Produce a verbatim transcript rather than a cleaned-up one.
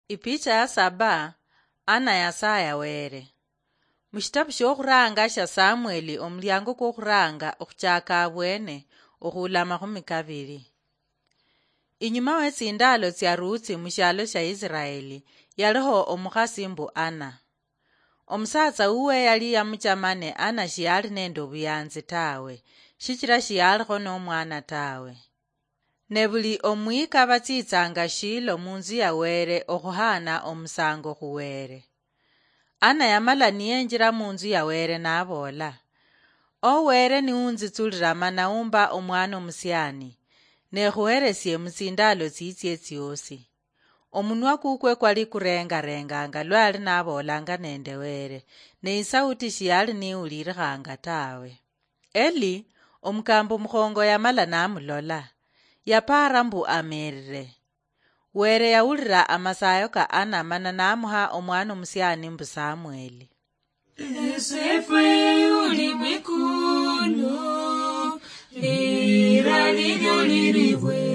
Ipicha ya saba. Ana yasaya Were. Mushitabu shokhuranga sha Samueli, omulyango kwokhuranga okhuchaka abwene, okhula makhumi kabiri. Inyuma wetsindalo tsia Rutsi mushialo sha Isiraeli, yaliho omukhasi mbu Ana. Omusatsa uwe yali yamuchama, ne Ana shiyali nende obuyanzi tawe, shichira shiyalikho nomwana tawe. Ne buli omwika batsitsanga Shilo munzu ya Were okhuhana omusango khu Were. Ana yamala niyenjira munzu ya Were naboola, "O Were niunzitsulira mana umba omwana omusiani, nekhuheresie mutsindalo tsitsie tsiosi." Omunwa kukwe kwali kurengarenganga lwali naboolanga nende Were, ne isauti shiyali niwulirikhanga tawe. Eli, omukambo mukhongo yamala namulola, yapaara mbu amerire. Were yawulira amasayo ka Ana mana namuha omwana omusiani mbu Samueli. Esefwe uli mwikulu, lira lilyo liribwe.